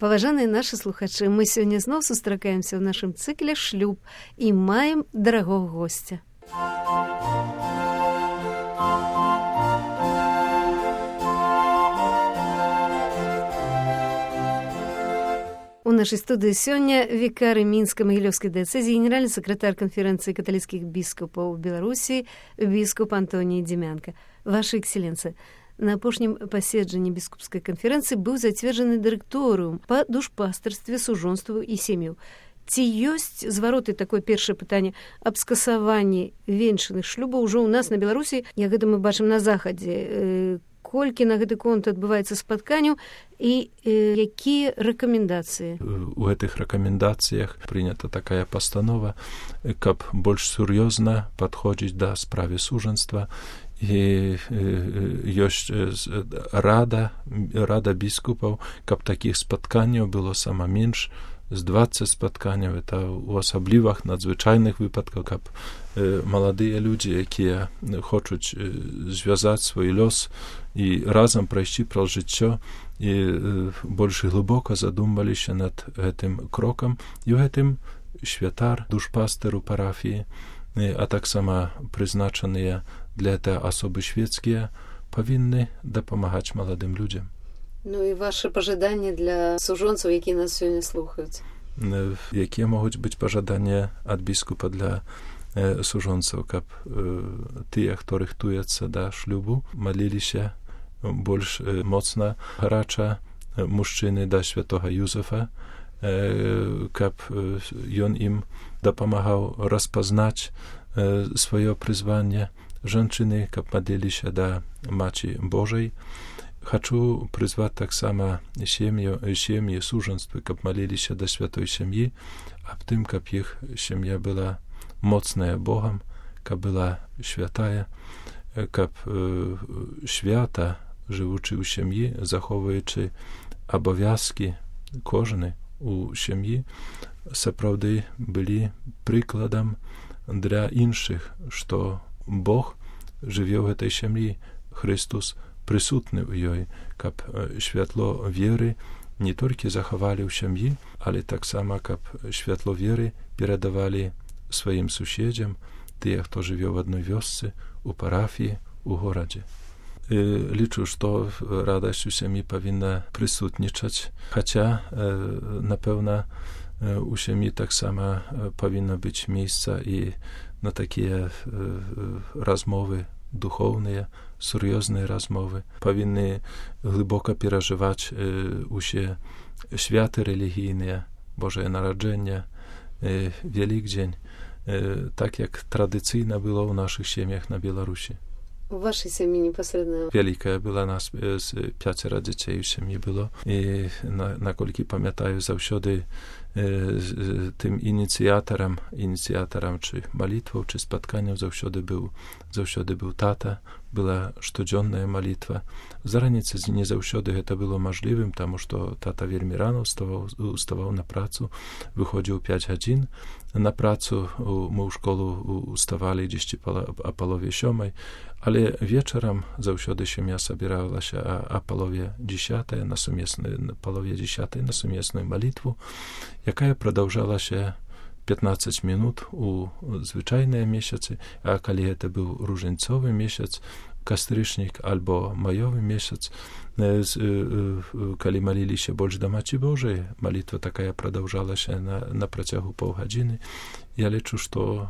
Паважаныя нашы слухачы, мы сёння зноў сустракаемся ў нашым цыкле «Шлюб» і маем дарагога госця. У нашай студыі сёння вікары Мінска-Магілёўскай дыяцэзіі, генеральны сакратар канферэнцыі каталіцкіх біскупаў Беларусі, біскуп Антоній Дзімянка. Ваша экселенцыя, на апошнім паседжанні біскупскай канферэнцыі быў зацверджаны дырэкторыум па душпастарстве, сужонству і сям'ю. Ці ёсць звароты, такое першае пытанне, аб скасаванні венчаных шлюбаў ужо ў нас на Беларусі, як гэта мы бачым на захадзе? Колькі на гэты конт адбываецца спатканняў і якія рэкамендацыі? У гэтых рэкамендацыях прынята такая пастанова, каб больш сур'ёзна падходзіць да справы сужанства, і ёсць рада біскупаў, каб такіх спатканняў было сама менш, з 20 спатканняў, это ў асаблівых надзвычайных выпадках, каб маладыя людзі, якія хочуць звязаць свой лёс і разам прайсці праз жыццё, і больш глыбока задумваліся над гэтым крокам, і ў гэтым святар, душпастер у парафіі, а таксама прызначаныя для гэта асобы свецкія, павінны дапамагаць маладым людзям. Ну і ваши пажаданні для сужонцаў, якія нас сёння слухаюць? Якія могуць быць пажаданні ад біскупа для сужонцаў, каб тыя, хто рыхтуецца да шлюбу, маліліся больш моцна, гарача мужчыны да святога Юзефа, каб ён ім дапамагаў распазнаць сваё прызванне, жанчыны, каб маліліся да Маці Божай. Хачу прызваць таксама сем'і, сужанствы, каб маліліся да святой сям'і, аб тым, каб іх сям'я была моцная Богам, каб была святая, каб свята, жывучы ў сям'і, захоўваючы абавязкі кожны у сям'і, сапраўды былі прыкладам для іншых, што Бог жыве ў гэтай сям'і, Христус прысутны ў ёй, каб святло веры не толькі захавалі ў сям'і, але таксама, каб святло веры перадавалі сваім суседзям, тыя, хто жыве ў адной вёсцы, у парафіі, у горадзе. Лічу, што радасць у сям'і павінна прысутнічаць, хаця, напэўна, у сям'і таксама павінна быць месца і на такія размовы духоўныя, сур'ёзныя размовы, павінны глыбока перажываць усе святы рэлігійныя, Божае нараджэнне, Вялікдзень, так як традыцыйна было ў нашых сем'ях на Беларусі. У вашай сям'і непасрэдна? Вялікая была нас, 5 дзяцей у сям'і было, і наколькі памятаю, заўсёды тым ініцыятарам ці малітваў, ці спатканняў заўсёды быў тата, была штодзённая малітва. За раніцы не заўсёды гэта было мажлівым, таму што тата вельмі рана уставаў на працу, выходзіў 5 гадзін на працу, мы ў школу уставалі дзесьці а палове 7, але вечарам заўсёды сям'я сабіралася а палове 10 на сумесную малітву, якая прадаўжалася 15 минут у звычайныя месяцы, а калі гэта быў ружэнцовы месяц, кастрычнік альбо маёвы месяц, калі маліліся больш да Маці Божай, малітва такая прадаўжалася на працягу паўгадзіны. Я лічу, што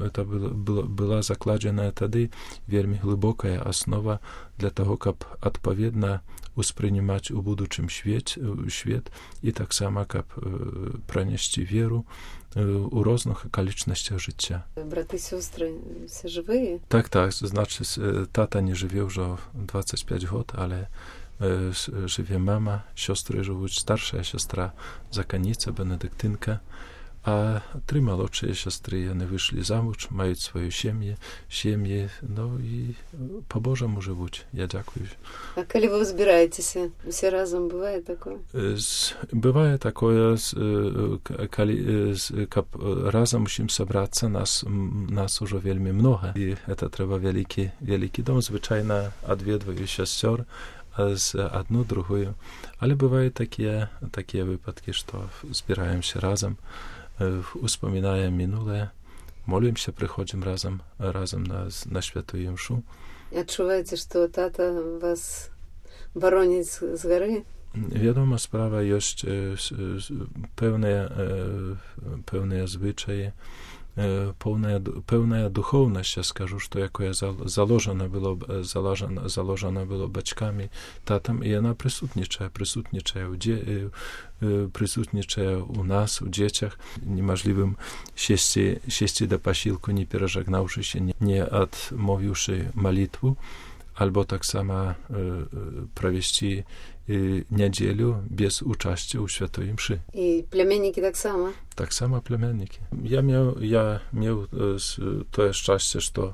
это была закладзеная тады вельмі глыбокая аснова для таго, каб адпаведна успрынимаць у будучым свет і таксама, каб пранесці веру у розных акалічнасцях жыцця. Браты, сёстры, все жывыя? Так, значыць, тата не жыве ўжо 25 год, але жыве мама, сёстры жывуць, старшая сястра заканіца, бенедыктынка, а 3 малодшыя сястры, яны выйшлі замуж, маюць сваю сем'і, ну і па-божаму жывуць, я дзякую. А калі вы збіраецеся, усе разам, бывае такое? Бывае такое, каб разам усім сабрацца, нас ужо вельмі многа, і гэта трэба вялікі дом. Звычайна адведваю сясцёр, z одну другую. Ale bywają takie wypadki, że zbierają się razem, wspominają minule, молим się, przychodzimy razem na świętую mszę. Odczuwacie, że tata was broni z góry? Wiadoma sprawa, jest pełne zwyczaje, pełna duchowność, ja скажу, что якое заложено было батьками, татам, і вона присутнічає у нас, у дітях. Неможливим сісти до посілку, не пережагнавшись, не отмовивши молитву, albo tak samo провести niedzielę bez uczestnictwa w świętej mszy. I plemienniki tak samo? Tak samo plemienniki. Ja miał to szczęście, że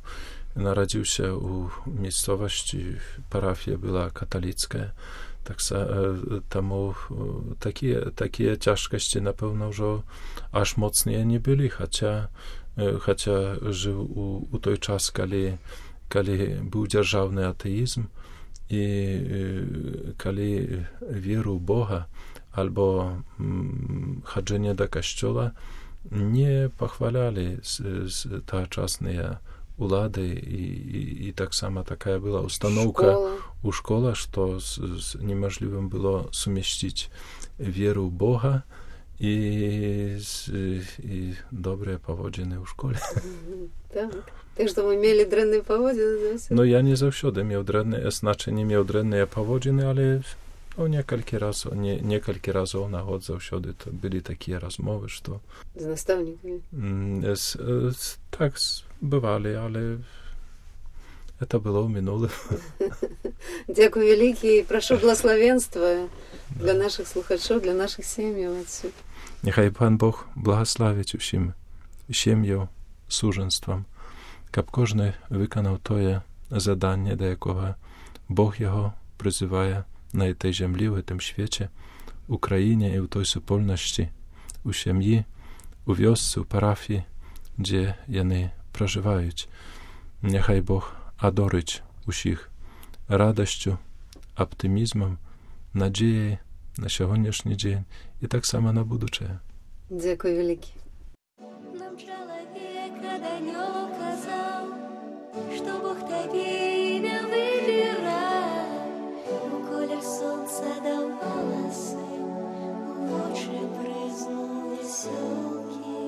narodził się u miejscowości, parafia była katolicka, tak temu takie ciężkości na pewno, że aż mocniej nie byli, chociaż żył u tej czas, kiedy był dzierżawny ateizm i kiedy wierzył Boga albo chodzenie do kościoła nie pochwalali ta czasne ulady i tak samo taka była ustanowka u szkoły, że niemożliwym było sumieścić wierę w Boga i dobre powodzenie w szkole. Tak. Tak, że my mieli drenne powodziny. No ja nie zawsze miał nie miał drenne powodziny, ale niekielka razy na chod zawsze to byli takie rozmowy, że z nastavnikami? Tak, bywali, ale to było minule. Dziękuję wielkie i proszę błogosławieństwa dla naszych słuchaczy, dla naszych семей. Niechaj Pan Bóg błogosławić усім сім'ю, służeństwom, aby każdy wykonał to zadanie, do jakiego Bóg jego przyzywa na tej ziemi, w tym świecie, w Ukrainie i w tej wspólności, u семьи, u wiosce, u parafii, gdzie oni przeżywają. Niechaj Bóg adoryć usich radością, optymizmem, nadzieją na dzisiejszy dzień i tak samo na будущее. Dziękuję wielkie. Нам человека далек казал, что Бог тебе имя выбирал. Колер солнца дал волосы, в очи брызнул веселки.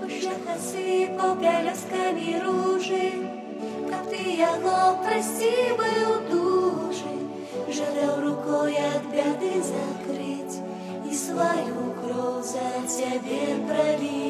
Пущах осыпал пялесками ружи, как ты его прости был дужи, жадал рукой от беды закрыть и свою кровь за тебе пролить.